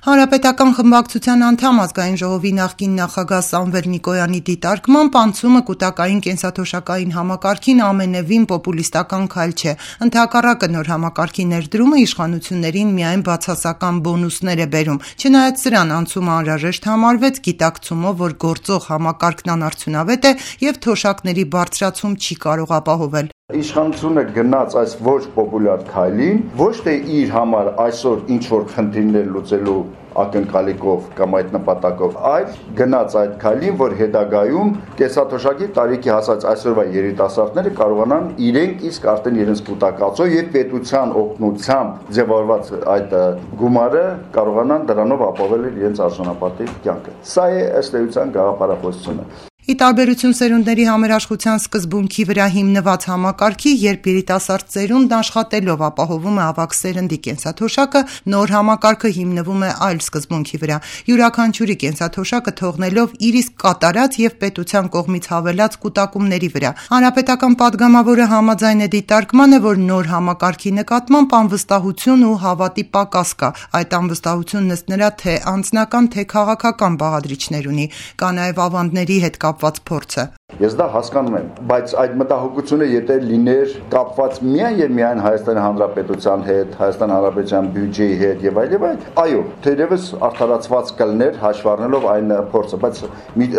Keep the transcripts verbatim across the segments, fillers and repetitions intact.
Հանրապետական խմբակցության անդամ ազգային ժողովի նախկին նախագահ Սամվել Նիկոյանի դիտարկմամբ անցումը կուտակային կենսաթոշակային համակարգին ամենևին պոպուլիստական քայլ չէ, ընդհակառակը նոր համակարգի ներդրումը իշխանություններին միայն բացասական բոնուսներ է բերում, չնայած սրան անցումը անհրաժեշտ համարվեց գիտակցումով, որ գործող համակարգն անարդյունավետ է և թոշակների բարձրացում չի կարող ապահովել։ Իշխանությունը գնաց այս ոչ պոպուլյար քայլին, ոչ թե իր համար այսօր ինչ-որ խնդիրներ լուծելու ակնկալիքով կամ այդ նպատակով, այլ գնաց այդ քայլին, որ հետագայում կենսաթոշակի տարիքի հասած այսօրվա երիտասարդները կարողանան իրենք իսկ արդեն իրենց կուտակածով եւ պետության օգնությամբ ձևավորված այդ գումարը կարողանան դրանով ապահովել իրենց արժանապատիվ կյանքը։ Սա է ըստ էության գաղափարախոսությունը։ Ի տարբերություն սերունդների համերաշխության սկզբունքի վրա հիմնված համակարգի, երբ երիտասարդ սերունդն աշխատելով ապահովում է ավագ սերնդի կենսաթոշակը, նոր համակարգը հիմնվում է այլ սկզբունքի վրա, յուրաքանչյուրի կենսաթոշակը թողնելով իր իսկ կատարած և պետության կողմից հավելած կուտակումների վրա։ Հանրապետական պատգամավորը համաձայն է դիտարկմանը, որ նոր համակարգի նկատմամբ անվստահություն ու հավատի պակաս կա։ Այդ անվստահությունն ըստ նրա թե անձնական, թե քաղաքական բաղադրիչներ ունի, կա նաև ավանդների հետ կապված փորձը։ Ես դա հասկանում եմ, բայց այդ մտահոգությունը եթե լիներ կապված միայն եւ միայն Հայաստանի Հանրապետության հետ, Հայաստանի Հանրապետության բյուջեի հետ եւ այլ եւ այլ, այո, թերևս արդարացված կլներ հաշվ առնելով այն փորձը, բայց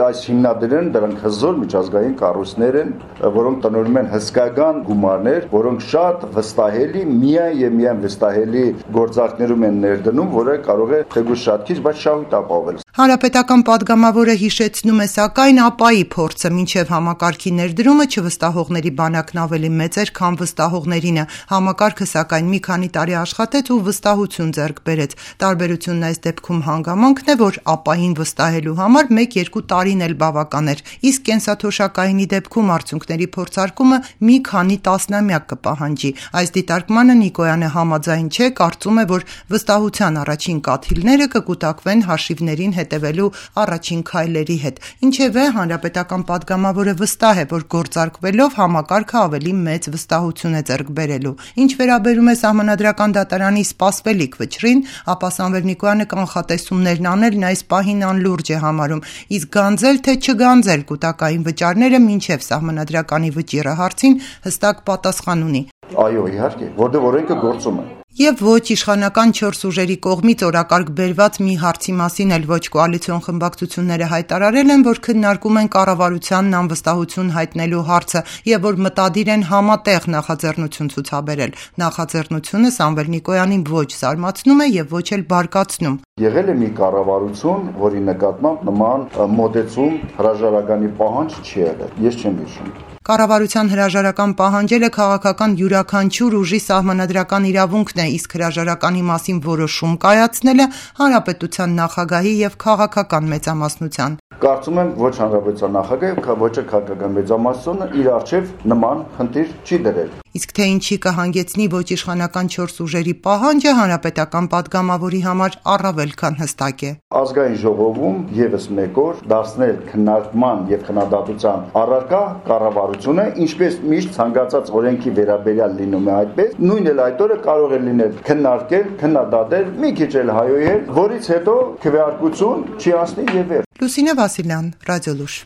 այս հիմնադրեն դրանք հզոր միջազգային կառույցներ են, որոնք տնօրինում են հսկայական գումարներ, որոնք շատ վստահելի, միայն եւ միայն վստահելի գործարքներում են ներդնում, որը կարող է թեկուզ շատ քիչ, բայց շահույթ ապահովել։ Հանրապետական պատգամավորը հիշեցնում է սակայն ԱՊԱ-ի փորձը մինչև համակարգի ներդրումը չվստահողների բանակն ավելի մեծ էր, քան վստահողներինը։ Համակարգը սակայն մի քանի տարի աշխատեց ու վստահություն ձեռք բերեց։ Տարբերությունն այս դեպքում հանգամանքն է, որ ԱՊԱ-ին վստահելու համար մեկ-երկու տարին էլ բավական էր, իսկ կենսաթոշակայինի դեպքում արդյունքների փորձարկումը մի քանի տասնամյակ կպահանջի։ Այս դիտարկմանը Նիկոյանը համաձայն չէ, կարծում է, որ վստահության առաջին կաթիլները կկուտակվեն հաշիվներին հետևելու առաջին քայլերի հետ։ Ինչևէ, հանրապետական պատգամավորը վստահ է, որ գործարկվելով համակարգը ավելի մեծ վստահություն է ձեռք բերելու։ Ինչ վերաբերում է Սահմանադրական դատարանի սպասվելիք վճռին, ապա Սամվել Նիկոյանը կանխատեսումներն անելն այս պահին անլուրջ է համարում, իսկ գանձել թե չգանձել կուտակային վճարները մինչև Սահմանադրականի վճիռը հարցին հստակ պատասխան ունի։ Այո, իհարկե, որտեղ օրենքը գործում է։ Եվ ոչ իշխանական չորս ուժերի կողմից օրակարգ բերված մի հարցի մասին էլ ոչ կոալիցիոն խմբակցությունները հայտարարել են, որ քննարկում են կառավարությանն անվստահություն հայտնելու հարցը եւ որ մտադիր են համատեղ նախաձեռնություն ցուցաբերել։ Նախաձեռնությունը Սամվել Նիկոյանին ոչ զարմացնում է եւ ոչ էլ բարկացնում։ Եղել է մի կառավարություն, որի նկատմամբ նման մոտեցում հրաժարականի պահանջ չի եղել։ Ես չեմ հիշում։ Կառավարության հրաժարական պահանջելը քաղաքական յուրաքանչյուր ուժի սահմանադրական իրավունքն է, իսկ հրաժարականի մասին որոշում կայացնելը հանրապետության նախագահի եւ քաղաքական մեծամասնության։ Կարծում եմ ոչ հանրապետության նախագահը, ոչ էլ քաղաքական մեծամասնությունը իր արչև նման խնդիր չի դրել։ Իսկ թե ինչի կհանգեցնի ոչ իշխանական չորս ուժերի պահանջը հանրապետական պատգամավորի համար առավել քան հստակ է։ Ազգային ժողովում եւս մեկ օր դարձնել քննարկման եւ քննադատության առարկա կառավարությունը, ինչպես միշտ ցանկացած օրենքի վերաբերյալ լինում է այդպես, նույնն էլ այդ օրը կարող է լինել քննարկել, քննադատել, մի քիչ էլ հայոյել, որից հետո քվեարկություն չի անցնի եւ վերջ։ Լուսինե Վասիլյան, Ռադիոլուշ։